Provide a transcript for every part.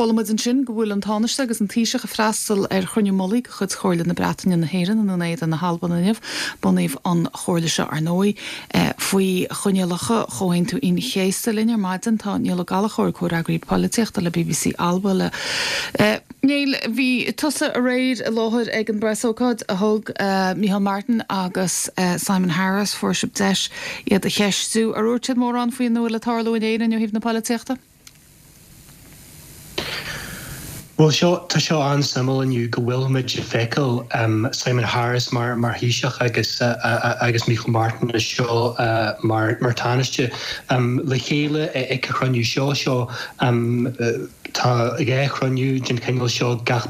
Chuala muid ansin go bhfuil an Tánaiste agus an Taoiseach ag freastal ar chruinniú mullaigh de chuid Chomhairle na Breataine na hÉireann i nDún Éideann na hAlban inniu. Bunaíodh an chomhairle seo, ar ndóigh, faoi choinníollacha Chomhaontú Aoine an Chéasta. Linn ar maidin tá Niall Ó Gallchóir, comhfhreagraí polaitíochta le bbc Alba. Le Niall, bhí tusa aréir i láthair ag an bpreasócáid a thug Micheál Martin agus Simon Harris. Fuair sibh deis iad a cheistiú. Ar dhúirt siad mórán faoina bhfuil ag tarlú in Éirinn ó thaobh na polaitíochta? Bhuel, seo, tá seo an-suimiúil inniu go bhfuil muid ag feiceáil Simon Harris mar mar Thaoiseach agus agus Micheál Martin anseo mar mar Tánaiste le chéile ag an chruinniú seo. Seo Tá 2 chruinniú den chineál seo gach.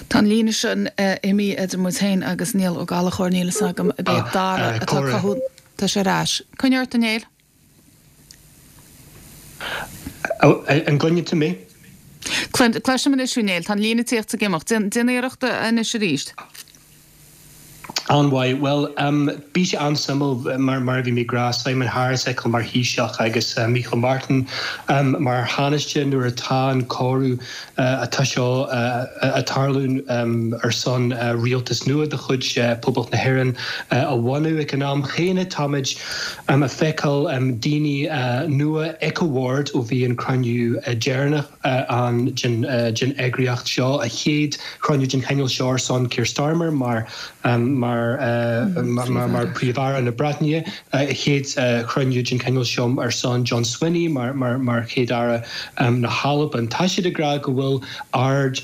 Tá an líne sin imithe idir muid féin agus Niall Ó Gallchóir, níl fhios agam ab é Dara atá ag cothú. Tá sé ar ais. Coinnigh ort, a Néill. An gcluineann tú mé? Cloisim anois thú, Néill. Tá an líne ag tíocht is ag imeacht. Déan iarracht anois arís. An-mhaith. Bhuel, bhí sé an-suimiúil, mar mar a bhí mé ag rá, Simon Harris a fheiceáil mar Thaoiseach agus Micheál Martin mar Thánaiste nuair atá an comhaireamh atá seo ag tarlú ar son rialtas nua de chuid Poblacht na hÉireann a bhunú. Ag an am chéanna táimid ag feiceáil daoine nua ag an bhord ó bhí an cruinniú deireanach ann den eagraíocht seo, a chéad chruinniú den chineál seo ar son Keir Starmer mar mar mar Príomh-Aire na Breataine, a chéad chruinniú den chineál seo ar son John Swinney mar mar Chéad-Aire na hAlban. Tá siad ag rá go bhfuil aird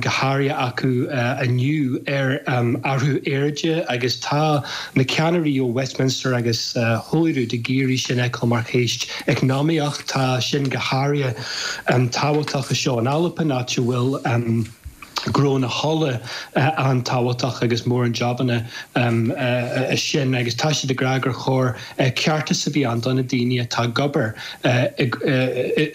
go háirithe acu inniu ar athrú aeráide agus tá na ceannairí ó Westminster agus Holyrood ag iarraidh sin a fheiceáil mar cheist eacnamaíoch. Tá sin go háirithe tábhachtach anseo in Albain, áit a bhfuil gnó na hola an-tábhachtach agus mórán jabanna sin agus tá siad ag rá gur chóir ceartas a bheith ann do na daoine atá ag obair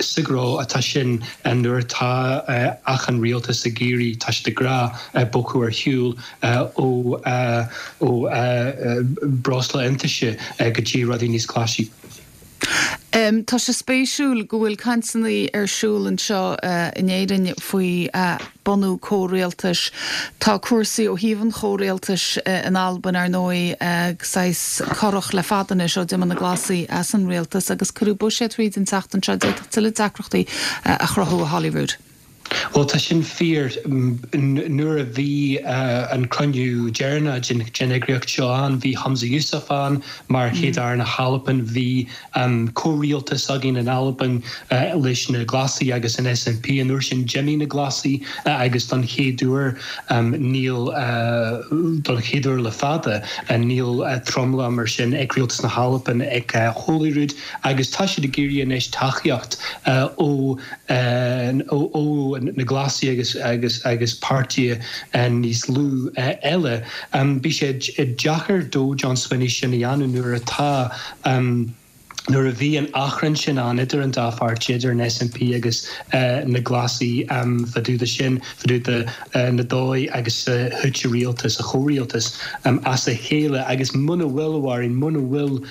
sa ghnó atá sin nuair atá achan rialtas ag iarraidh, tá siad ag rá, bogadh ar shiúl ó ó breosla iontaise go dtí rudaí níos glaise. Tá sé spéisiúil go bhfuil cainteanna ar siúl anseo in Éirinn faoi bunú comhrialtais. Tá cúrsaí ó thaobh an chomhrialtais in Albain, ar ndóigh, saghas corrach le fada anois ó d'imigh na Glasaigh as an rialtas agus cuireadh buiséad thríd an tseachtain seo a d'fhéadfadh tuilleadh deacrachtaí a chruthú i Holyrood. Bhuel, tá sin fíor. Nuair a bhí an cruinniú deireanach den eagraíocht seo ann, bhí Humza Yousaf ann mar Chéad-Aire na hAlban, bhí comhrialtas againn in Albain leis na Glasaigh agus an SNP. An uair sin d'imigh na Glasaigh agus don chéad uair níl, don chéad uair le fada, níl tromlach mar sin ag rialtas na hAlban ag Holyrood agus tá siad ag iarraidh anois tacaíocht ó ó na Glasaigh agus agus agus páirtithe níos lú eile. Bhí sé deacair do John Swinney sin a dhéanamh nuair atá nuair a bhí an achrann sin ann idir an dá pháirtí, idir an SNP agus na Glasaigh fá dtaobh de sin, fá dtaobh de na dóigh agus a thit a rialtas, a chomhrialtas as a chéile agus muna bhfuil, a Mháirín, muna bhfuil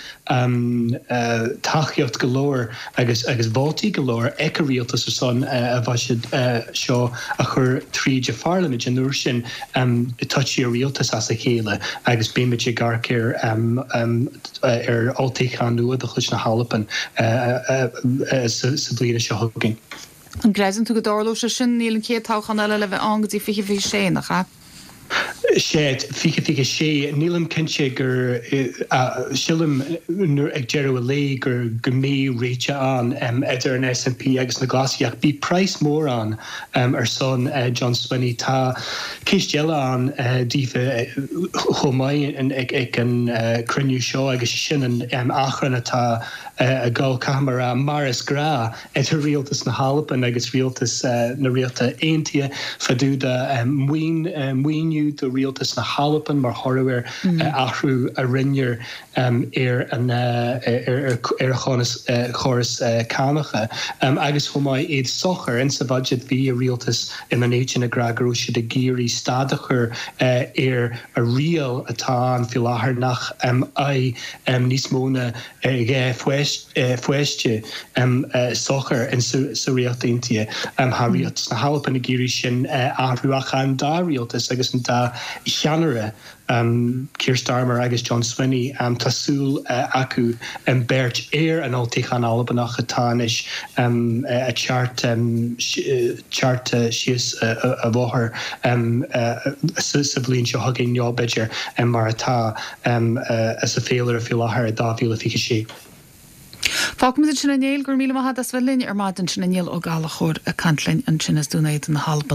tacaíocht go leor agus agus vótaí go leor ag an rialtas ar son a bhuiséad seo a chur tríd an pharlaimint. An uair sin titfidh an rialtas as a chéile agus beimid ag amharc ar ar olltoghchán nua de chuid na hAlban sa bhliain seo chugainn. An gcreideann tú go dtarlóidh sé sin? Níl an chéad toghchán eile le bheith ann go dtí 2026, nach ea? Sea, 2026. Nílim cinnte gur, sílim nuair, ag deireadh an lae gur, go mbeidh réiteach ann idir an SNP agus na Glasaigh ach beidh praghas mór ann ar son John Swinney. Tá ceist eile ann daofa chomh maith ag an cruinniú seo agus sin an achrann atá ag dul, caithfidh mé a rá, mar is gnáth, idir rialtas na hAlban agus rialtas na Ríochta Aontaithe fá dtaobh de maoin, maoiniú do. rialtas na hAlban mar thoradh ar athrú a rinneadh ar an ar an chóras cánacha agus chomh maith iad sochair. Insa bhuiséad bhí a rialtas i nDún Éideann ag rá go raibh siad ag iarraidh stad a chur ar a riail atá ann faoi láthair nach mbeadh níos mó ná 2 pháiste sochair sa Ríocht Aontaithe. Tá rialtas na hAlban ag iarraidh sin a athrú ach an dá rialtas agus an dá cheannaire, Keir Starmer agus John Swinney, tá súil acu beirt ar an olltoghchán Albanach atá anois ag teacht síos an bhóthar sa bhliain seo chugainn nó b'fhéidir mar atá sa féilire faoi láthair i 2026. Fágfaimid ansin é a Néill, go raibh míle maith agat as bheith linn ar maidin sin Niall Ó Gallchóir ag caint linn ansin as Dún Éideann na hAlban.